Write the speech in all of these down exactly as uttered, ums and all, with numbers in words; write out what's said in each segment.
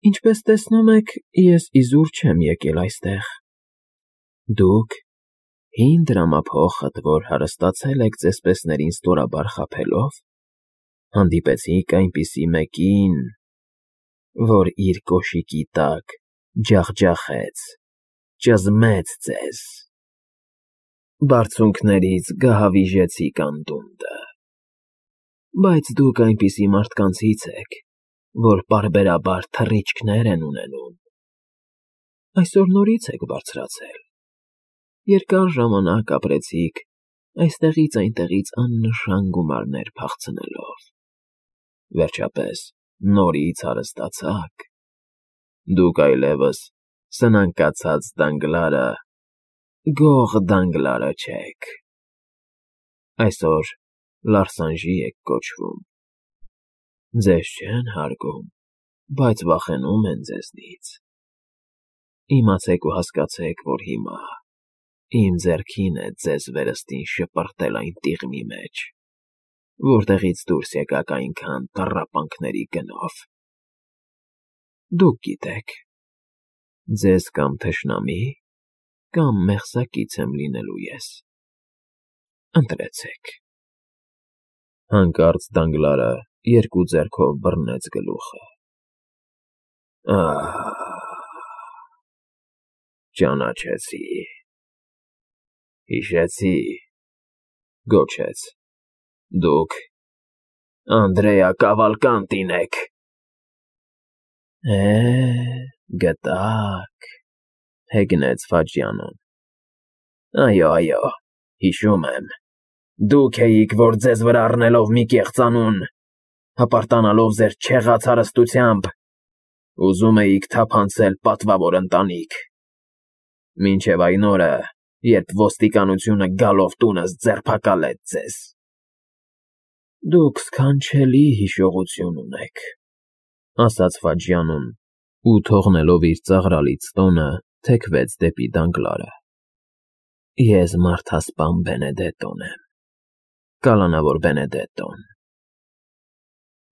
Ինչպես տեսնում եք, ես իզուր չեմ եկել այստեղ։ Դուք, հին դրամափոխդ, որ հարստացել եք ծեսպեսներին ստորաբար խաբելով, հանդիպեցիք այնպիսի մեկին, որ իր կոշիկի տակ ջախջախեց, ճզմեց ձեզ, բարձունքներից գահավիժեցիք անդունդը, բայց դուք այնպիսի մարդկանցից եք, որ պարբերաբար թռիչքներ են ունենում, այսօր նորից եք բարձրացել, երկար ժամանակ ապրեցիք այստեղից այնտեղից աննշան գումարներ փախցնելով, վերջապես նորից հարստացաք, դուք այլևս սնանկացած Դանգլարը, գող Դանգլարը չեք, այսօր Լարսանժի եք կոչվում, ձեզ չեն հարգում, բայց վախենում են ձեզնից, իմացեք ու հասկացեք, որ հիմա իմ ձեռքին է ձեզ վերստին շպրտել այն տիղմի մեջ, որտեղից դուրս եկաք այնքան տառապանքների գնով, դուք գիտեք, ձեզ կամ թշնամի, կամ մեղսակից եմ լինելու ես, ընտրեցեք, հանկարծ Դանգլարը երկու ձեռքով բռնեց գլուխը, ահ, ճանաչեցի, հիշեցի, գոչեց, դուք Անդրեա Կավալկանտին եք, է, գտաք, հեգնեց Ֆաջյանոն, այո, այո, հիշում եմ, դուք էիք, որ ձեզ վրա առնելով մի կեղծանուն, հպարտանալով ձեր չեղած հարստությամբ, ուզում էիք թափանցել պատվավոր ընտանիք, մինչև այն օրը, երբ ոստիկանությունը գալով տունս ձերբակալեց ձեզ, դուք սքանչելի հիշողություն ունեք, ասաց Ֆաջյանուն ու թողնելով իր ծաղրալից տոնը, թեքվեց դեպի Դանգլարը, ես մարդասպան Բենեդետոն եմ, կալանավոր Բենեդետոն,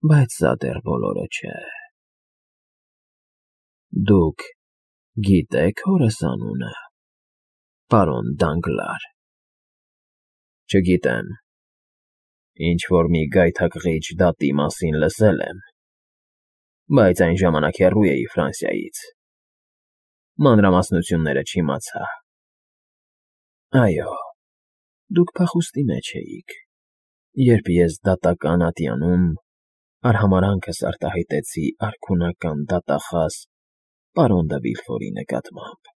բայց սա դեռ բոլորը չէ, դուք գիտեք հորս անունը, պարոն Դանգլար, չգիտեմ, ինչ-որ մի գայթակղիչ դատի մասին լսել եմ, բայց այն ժամանակ հեռու էի Ֆրանսիայից, մանրամասնությունները չիմացա, այո, դուք փախուստի մեջ էիք, երբ ես դատական ատյանում արհամարհանքս արտահայտեցի արքունական դատախազ պարոն դը Վիլֆորի նկատմամբ,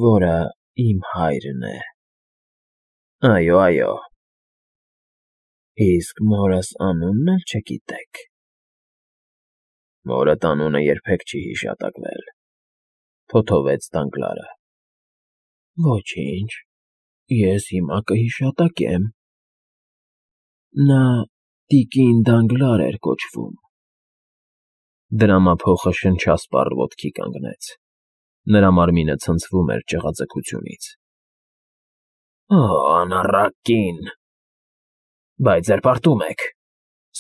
որը իմ հայրն է, այո, այո, իսկ մորս անունն էլ չգիտեք, մորդ անունը երբեք չի հիշատակվել, թոթովեց Դանգլարը, ոչինչ, ես հիմա կհիշատակեմ, նա տիկին Դանգլար էր կոչվում, դրամափոխը շնչասպառ ոտքի կանգնեց, նրա մարմինը ցնցվում էր ճղաձգությունից, օ, անառակ կին, բայց զրպարտում եք,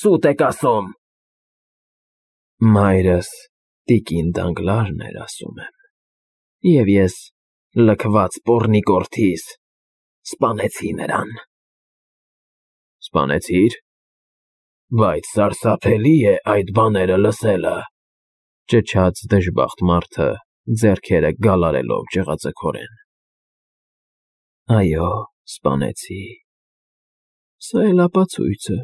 սուտ եք ասում, մայրս տիկին Դանգլարն էր ասում եմ, և ես լքված պոռնիկորդիս սպանեցի նրան, սպանեցի՞ր, բայց սարսափելի է այդ բաները լսելը, ճչաց դժբախտ մարդը, ձեռքերը գալարելով ճղաձգորեն, այո, սպանեցի, սա էլ ապացույցը,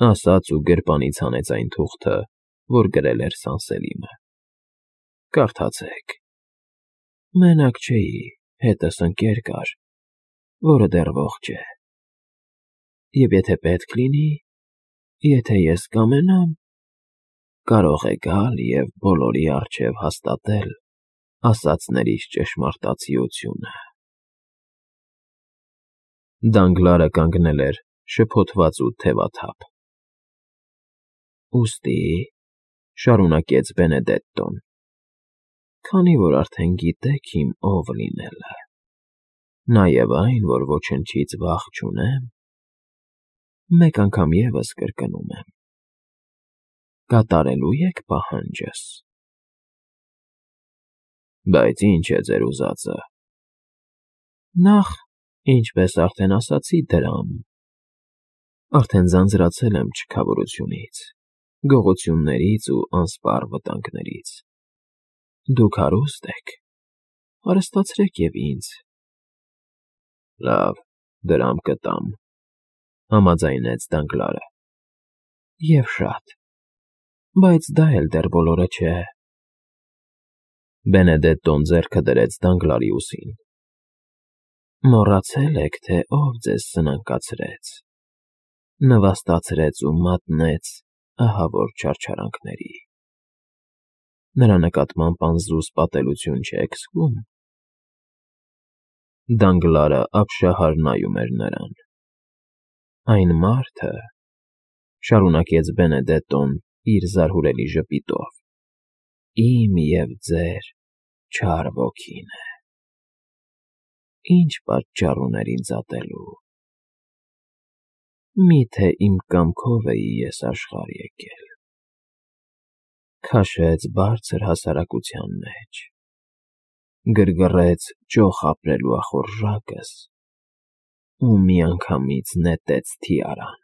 ասաց ու գրպանից հանեց այն թուղթը, որ գրել էր Սանսելիմը, կարդացեք, մենակ չէի, հետս ընկեր կար, որը դեռ ողջ է, և եթե պետք լինի, եթե ես կամենամ, կարող է գալ և բոլորի առջև հաստատել ասածներիս ճշմարտացիությունը, Դանգլարը կանգնել էր շփոթված ու թևաթափ, ուստի, շարունակեց Բենեդետտոն, քանի որ արդեն գիտեք իմ ով լինելը, նաև այն, որ ոչնչից վախ չունեմ, մեկ անգամ ևս կրկնում եմ, կատարելու եք պահանջս։ Բայց ինչ է ձեր ուզածը։ Նախ, ինչպես արդեն ասացի, դրամ։ Արդեն ձանձրացել եմ չքավորությունից, գողություններից ու անսպառ վտանգներից։ Դուք հարուստ եք, հարստացրեք և ինձ։ Լավ, դրամ կտամ, համաձայնեց Դանգլարը։ Եվ շատ, բայց դա էլ դեռ բոլորը չէ։ Բենեդետտոն ձեռքը դրեց Դանգլարի ուսին։ Մոռացել եք, թե ով ձեզ սնանկացրեց, նվաստացրեց ու մատնեց ահավոր չարչարանքների։ Նրա նկատմամբ անզուզ պատելություն չեք զգում։ Դանգլարը ապշահար նայում էր նրան։ Այն մարդը, շարունակեց Բենեդետտոն իր զարհուրելի ժպիտով, իմ և ձեր չար ոգին է։ Ինչ պատճառ ուներ ինձ ատելու։ Մի՞թե իմ կամքով էի ես աշխարհ եկել։ Քաշեց բարձր հասարակության մեջ, գրգռեց ճոխ ապրելու ախորժակս ու միանգամից նետեց թիարան,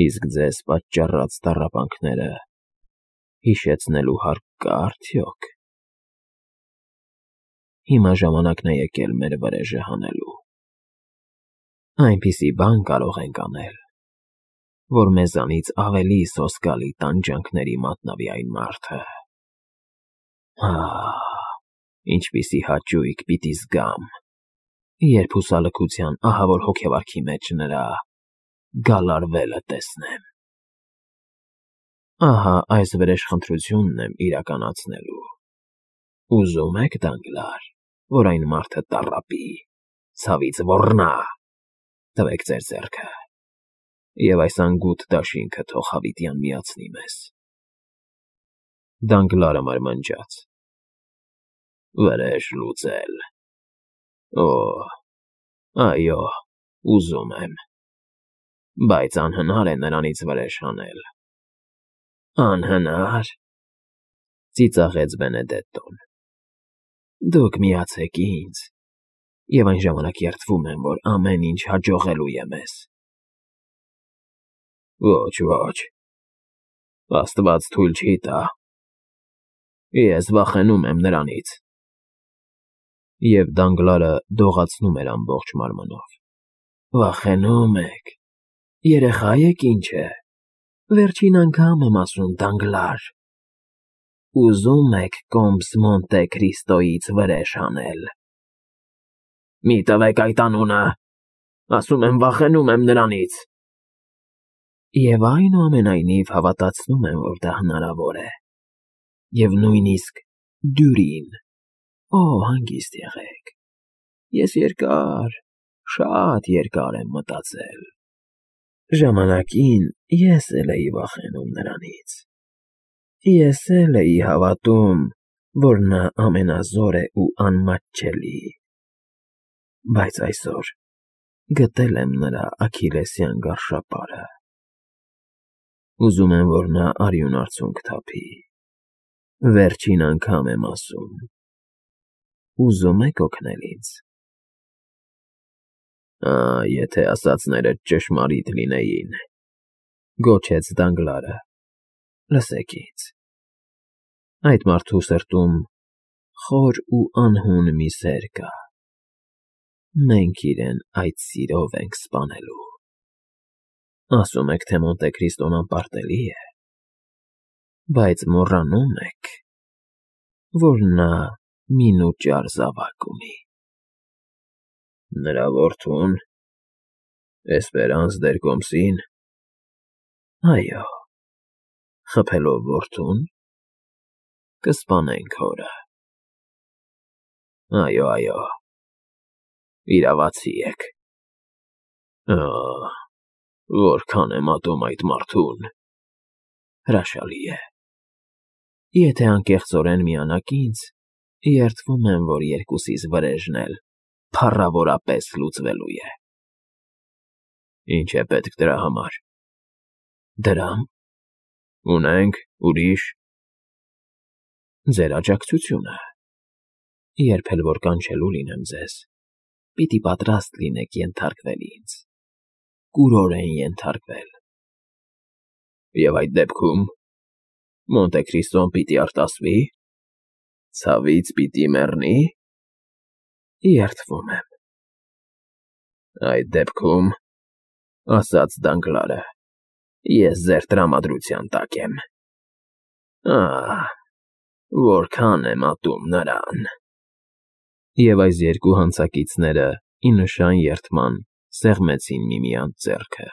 իսկ ձեզ պատճառած տառապանքները հիշեցնելու հարկ կա՞ արդյոք։ Հիմա ժամանակն է եկել մեր վրեժը հանելու։ Այնպիսի բան կարող ենք անել, որ մեզանից ավելի սոսկալի տանջանքների մատնավի այն մարդը։ Ահ, ինչպիսի հաճույք պիտի զգամ, երբ հուսալքության ահավոր հոգեվարքի մեջ նրա գալարվելը տեսնեմ։ Ահա այս վրեժխնդրությունն եմ իրականացնելու։ Ուզում եք, Դանգլար, որ այն մարդը տառապի, ցավից ոռնա։ Տվեք ձեր ձեռքը, և այս անգութ դաշինքը թող հավիտյան միացնի մեզ։ Դանգլարը մարմնջաց. Վրեժ լուծել։ Օ, այո, ուզում եմ, բայց անհնար է նրանից վրեժ հանել։ Անհնա՞ր, ծիծաղեց Բենեդետտոն։ Դուք միացեք ինձ, և այն ժամանակ երդվում եմ, որ ամեն ինչ հաջողելու է մեզ։ Ոչ, ոչ, աստված թույլ չի տա։ Ես վախենում եմ նրանից։ Եվ Դանգլարը դողացնում էր ամբողջ մարմնով։ Վախենու՞մ եք, երեխա եք ինչ է, վերջին անգամ եմ ասում, Դանգլար։ Ուզում եք կոմս Մոնտե Քրիստոյից վրեժ հանել։ Մի տվեք այդ անունը, ասում եմ, վախենում եմ նրանից։ Եվ այնուամենայնիվ հավատացնում եմ, որ դա հնարավոր է, և նույնիսկ դյուրին։ Օ, հանգիստ եղեք, ես երկար, շատ երկար եմ մտածել։ Ժամանակին ես էլ էի վախենում նրանից։ Ես էլ էի հավատում, որ նա ամենազոր է ու անմատչելի։ Բայց այսօր գտել եմ նրա աքիլեսյան գարշապարը։ Ուզում եմ, որ նա արյուն արցունք թափի։ Վերջին անգամ եմ ասում։ Ուզում եք օգնել ինձ։ Ա, եթե ասածներդ ճշմարիտ լինեին, գոչեց Դանգլարը։ Լսեք ինձ։ Այդ մարդու սրտում խոր ու անհուն մի սեր կա։ Մենք իրեն այդ սիրով ենք սպանելու։ Ասում եք, թե Մոնտե Քրիստոն անպարտելի է, բայց մոռանում եք, որ նա մինուճար զավակ ունի։ Նրա որդո՞ւն, Էսպերանս դեր Կոմսին։ Այո, խփելով որդուն, կսպանենք հորը։ Այո, այո, իրավացի եք։ Ահ, որքան եմ ատում այդ մարդուն։ Հրաշալի է։ Եթե անկեղծորեն միանաք ինձ, երդվում եմ, որ երկուսիս վրեժն էլ փառավորապես լուծվելու է։ Ինչ է պետք դրա համար։ Դրամ։ Ունենք, ուրիշ։ Ձեր աջակցությունը։ Երբ էլ որ կանչելու լինեմ ձեզ, պիտի պատրաստ լինեք ենթարկվել ինձ, կուրորեն ենթարկվել։ Եվ այդ դեպքում Մոնտե Քրիստոն պիտի արտասվի՞, ցավից պիտի մեռնի՞։ Երդվում եմ։ Այդ դեպքում, ասաց Դանգլարը, ես ձեր տրամադրության տակ եմ։ Ահ, որքան եմ ատում նրան… Եվ այս երկու հանցակիցները, ի նշան երդման, սեղմեցին միմյանց ձեռքը։